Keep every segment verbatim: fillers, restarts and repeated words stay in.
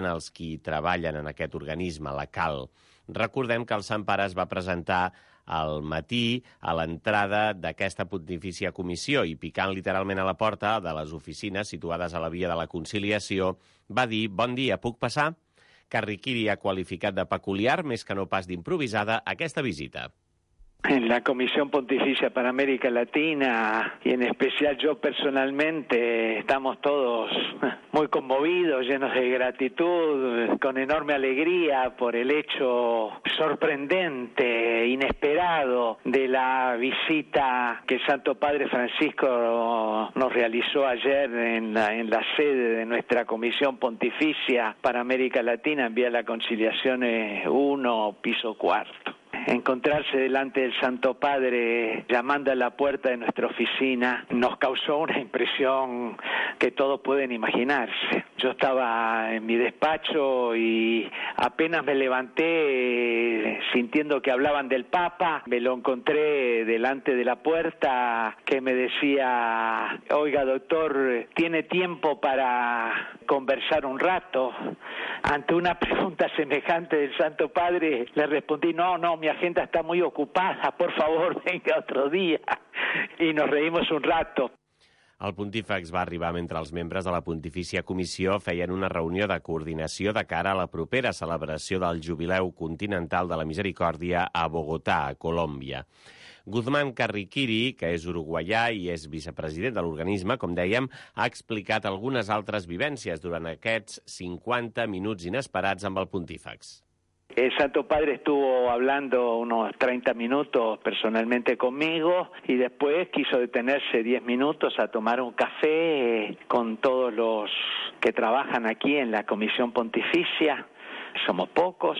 tant els qui treballen en aquest organisme, la Cal. Recordem que el Sant Pare es va presentar al matí a l'entrada d'aquesta pontifícia comissió i picant literalment a la porta de les oficines situades a la via de la Conciliació va dir: «Bon dia, puc passar?». Carriquiri ha qualificat de peculiar, més que no pas d'improvisada, aquesta visita. En la Comisión Pontificia para América Latina, y en especial yo personalmente, estamos todos muy conmovidos, llenos de gratitud, con enorme alegría por el hecho sorprendente, inesperado, de la visita que el Santo Padre Francisco nos realizó ayer en la, en la sede de nuestra Comisión Pontificia para América Latina, en Vía de la Conciliación uno, piso cuarto. Encontrarse delante del Santo Padre llamando a la puerta de nuestra oficina nos causó una impresión que todos pueden imaginarse. Yo estaba en mi despacho y apenas me levanté sintiendo que hablaban del Papa, me lo encontré delante de la puerta que me decía: «Oiga, doctor, ¿tiene tiempo para conversar un rato?». Ante una pregunta semejante del Santo Padre le respondí: «No, no, mi agenda está muy ocupada, por favor, venga otro día». I nos reímos un rato. El pontífex va arribar mentre els membres de la Pontifícia Comissió feien una reunió de coordinació de cara a la propera celebració del Jubileu Continental de la Misericòrdia a Bogotà, a Colòmbia. Guzmán Carriquiri, que és uruguaià i és vicepresident de l'organisme, com dèiem, ha explicat algunes altres vivències durant aquests cinquanta minuts inesperats amb el pontífex. El Santo Padre estuvo hablando unos treinta minutos personalmente conmigo y después quiso detenerse diez minutos a tomar un café con todos los que trabajan aquí en la Comisión Pontificia. Somos pocos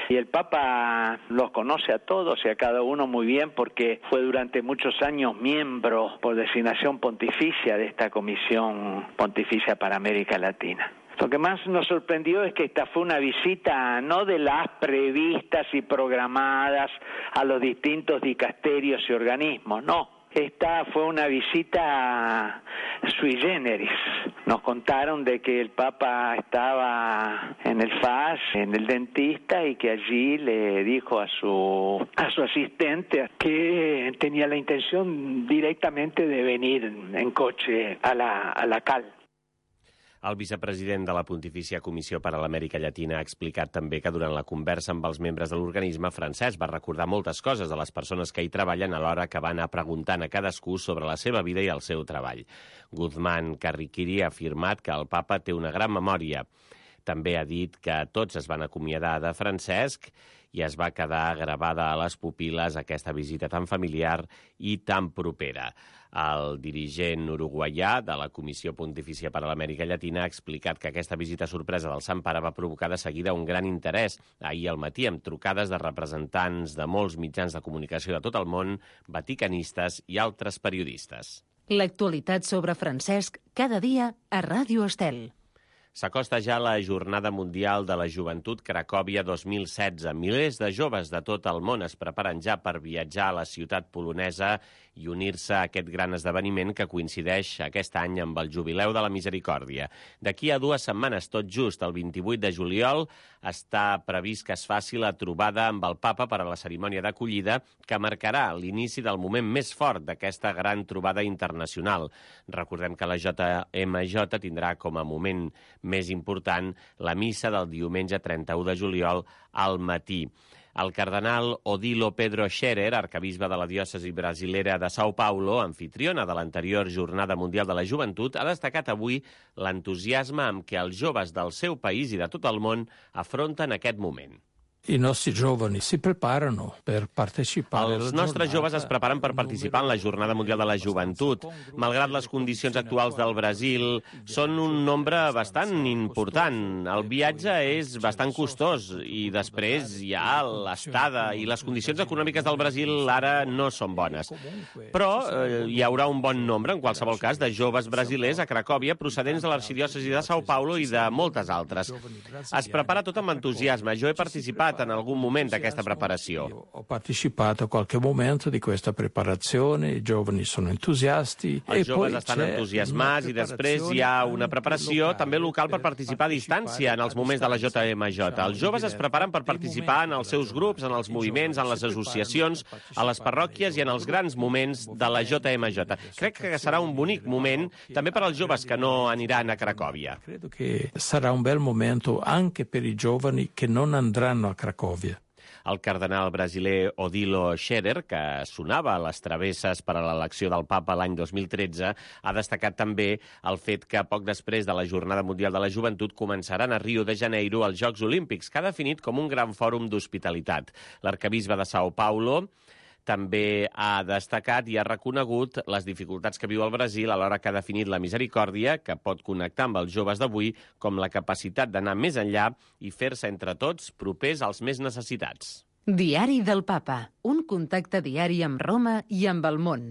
y el Papa los conoce a todos y a cada uno muy bien porque fue durante muchos años miembro por designación pontificia de esta Comisión Pontificia para América Latina. Lo que más nos sorprendió es que esta fue una visita no de las previstas y programadas a los distintos dicasterios y organismos, no. Esta fue una visita sui generis. Nos contaron de que el Papa estaba en el F A S, en el dentista, y que allí le dijo a su, a su asistente que tenía la intención directamente de venir en coche a la, a la Cal. El vicepresident de la Pontifícia Comissió per a l'Amèrica Llatina ha explicat també que durant la conversa amb els membres de l'organisme, Francesc va recordar moltes coses de les persones que hi treballen alhora que va anar preguntant a cadascú sobre la seva vida i el seu treball. Guzmán Carriquiri ha afirmat que el Papa té una gran memòria. També ha dit que tots es van acomiadar de Francesc i es va quedar gravada a les pupil·les aquesta visita tan familiar i tan propera. El dirigent uruguaià de la Comissió Pontifícia per a l'Amèrica Llatina ha explicat que aquesta visita sorpresa del Sant Pare va provocar de seguida un gran interès ahir al matí amb trucades de representants de molts mitjans de comunicació de tot el món, vaticanistes i altres periodistes. L'actualitat sobre Francesc cada dia a Ràdio Estel. S'acosta ja la Jornada Mundial de la Joventut Cracòvia dos mil setze. Milers de joves de tot el món es preparen ja per viatjar a la ciutat polonesa i unir-se a aquest gran esdeveniment que coincideix aquest any amb el Jubileu de la Misericòrdia. D'aquí a dues setmanes, tot just, el vint-i-vuit de juliol, està previst que es faci la trobada amb el Papa per a la cerimònia d'acollida que marcarà l'inici del moment més fort d'aquesta gran trobada internacional. Recordem que la J M J tindrà com a moment més important la missa del diumenge trenta-u de juliol al matí. El cardenal Odilo Pedro Scherer, arcabisbe de la diòcesi brasilera de São Paulo, anfitriona de l'anterior Jornada Mundial de la Joventut, ha destacat avui l'entusiasme amb què els joves del seu país i de tot el món afronten aquest moment. I nostri giovani si preparano per partecipare. Els nostres joves es preparen per participar en la Jornada Mundial de la Joventut. Malgrat les condicions actuals del Brasil, són un nombre bastant important. El viatge és bastant costós i després hi ha l'estada i les condicions econòmiques del Brasil ara no són bones. Però eh, hi haurà un bon nombre, en qualsevol cas, de joves brasilers a Cracòvia procedents de l'arxidiòcesi de São Paulo i de moltes altres. Es prepara tot amb entusiasme. Jo he participat parlat en algun moment d'aquesta preparació. Ho partecipato a qualche momento di questa preparazione, i giovani sono entusiasti. Els joves estan entusiasmats i després hi ha una preparació també local per participar a distància en els moments de la J M J. Els joves es preparen per participar en els seus grups, en els moviments, en les associacions, a les parròquies i en els grans moments de la J M J. Crec que serà un bonic moment també per als joves que no aniran a Cracòvia. Credo che sarà un bel momento anche per i giovani che non andranno a Cracòvia. El cardenal brasiler Odilo Scherer, que sonava a les travesses per a l'elecció del papa l'any dos mil tretze, ha destacat també el fet que poc després de la Jornada Mundial de la Joventut començaran a Rio de Janeiro els Jocs Olímpics, que ha definit com un gran fòrum d'hospitalitat. L'arquebisbe de São Paulo també ha destacat i ha reconegut les dificultats que viu el Brasil alhora que ha definit la misericòrdia, que pot connectar amb els joves d'avui, com la capacitat d'anar més enllà i fer-se entre tots propers als més necessitats. Diari del Papa, un contacte diari amb Roma i amb el món.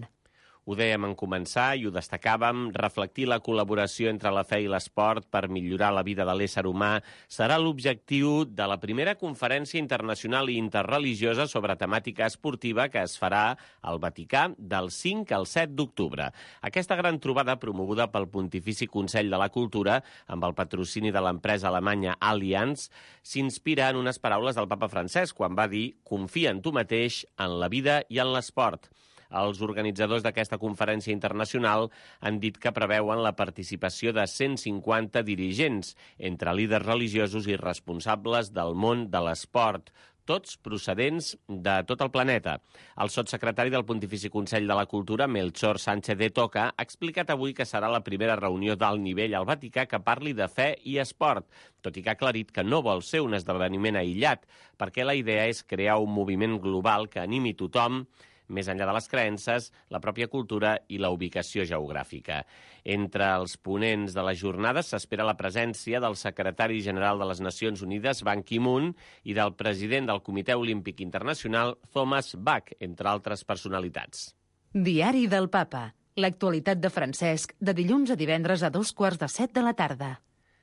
Ho dèiem en començar i ho destacàvem, reflectir la col·laboració entre la fe i l'esport per millorar la vida de l'ésser humà serà l'objectiu de la primera conferència internacional i interreligiosa sobre temàtica esportiva que es farà al Vaticà del cinc al set d'octubre. Aquesta gran trobada, promoguda pel Pontifici Consell de la Cultura, amb el patrocini de l'empresa alemanya Allianz, s'inspira en unes paraules del papa Francesc quan va dir «Confia en tu mateix, en la vida i en l'esport». Els organitzadors d'aquesta conferència internacional han dit que preveuen la participació de cent cinquanta dirigents, entre líders religiosos i responsables del món de l'esport, tots procedents de tot el planeta. El sotssecretari del Pontifici Consell de la Cultura, Melchor Sánchez de Toca, ha explicat avui que serà la primera reunió d'alt nivell al Vaticà que parli de fe i esport, tot i que ha aclarit que no vol ser un esdeveniment aïllat, perquè la idea és crear un moviment global que animi tothom, més enllà de les creences, la pròpia cultura i la ubicació geogràfica. Entre els ponents de les jornades s'espera la presència del secretari general de les Nacions Unides, Ban Ki-moon, i del president del Comitè Olímpic Internacional, Thomas Bach, entre altres personalitats. Diari del Papa. L'actualitat de Francesc, de dilluns a divendres a dos quarts de set de la tarda.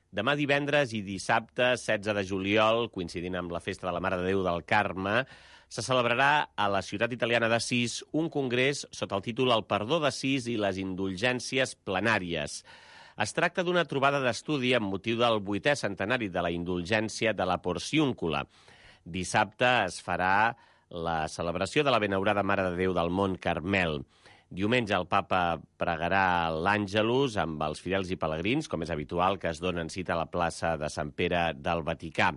Demà divendres i dissabte, setze de juliol, coincidint amb la festa de la Mare de Déu del Carme, se celebrarà a la ciutat italiana d'Assís un congrés sota el títol El perdó d'Assís i les indulgències plenàries. Es tracta d'una trobada d'estudi amb motiu del vuitè centenari de la indulgència de la Porciúncula. Dissabte es farà la celebració de la benaurada Mare de Déu del Mont Carmel. Diumenge el papa pregarà l'Àngelus amb els fidels i pelegrins, com és habitual que es donen cita a la plaça de Sant Pere del Vaticà.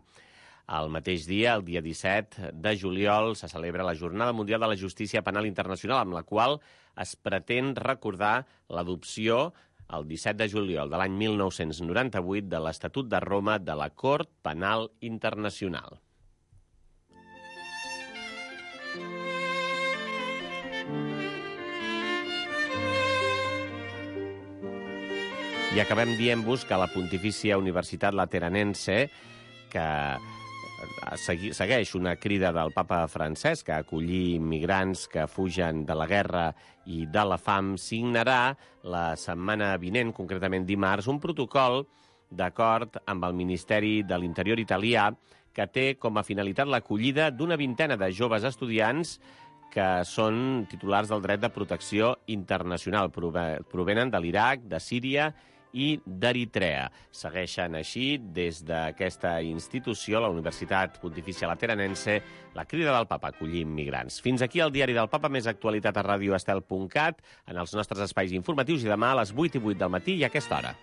El mateix dia, el dia disset de juliol, se celebra la Jornada Mundial de la Justícia Penal Internacional, amb la qual es pretén recordar l'adopció el disset de juliol de l'any mil nou-cents noranta-vuit de l'Estatut de Roma de la Cort Penal Internacional. I acabem dient-vos que la Pontifícia Universitat Lateranense, que segueix una crida del papa Francesc a acollir immigrants que fugen de la guerra i de la fam, signarà la setmana vinent, concretament dimarts, un protocol d'acord amb el Ministeri de l'Interior italià que té com a finalitat l'acollida d'una vintena de joves estudiants que són titulars del dret de protecció internacional. Provenen de l'Iraq, de Síria i d'Eritrea. Segueixen així, des d'aquesta institució, la Universitat Pontifícia Lateranense, la crida del papa a acollir immigrants. Fins aquí el Diari del Papa, més actualitat a radio estel punt cat, en els nostres espais informatius, i demà a les vuit i vuit del matí i a aquesta hora.